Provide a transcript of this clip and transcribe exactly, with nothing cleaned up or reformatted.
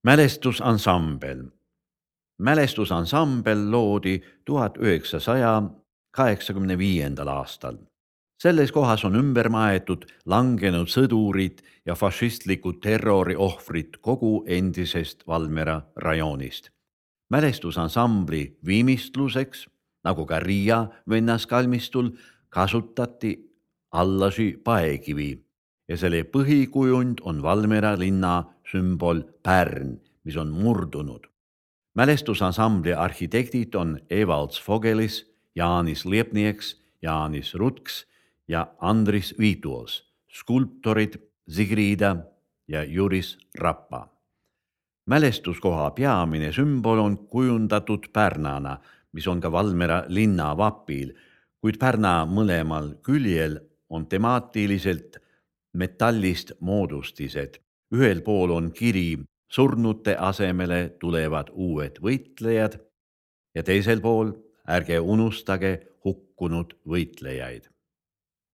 Mälestusansambel. Mälestusansambel loodi tuhat üheksasaja kaheksakümne viiendal aastal. Selles kohas on ümber maetud langenud sõdurid ja fašistlikud terrori ohvrid kogu endisest Valmiera rajoonist. Mälestusansambli viimistluseks, nagu ka Riia vennaskalmistul, kasutati allasi paekivi ja selle põhikujund on Valmiera linna sümbol Pärn, mis on murdunud. Mälestusansambli arhitektid on Evalds Fogelis, Jaanis Liepnieks, Jaanis Rutks ja Andris Viituos, skulptorid Sigrida ja Juris Rappa. Mälestuskoha peamine sümbol on kujundatud pärnana, mis on ka Valmiera linna vapil, kuid pärna mõlemal küljel on temaatiliselt metallist moodustised. Ühel pool on kiri surnute asemele tulevad uued võitlejad ja teisel pool ärge unustage hukkunud võitlejaid.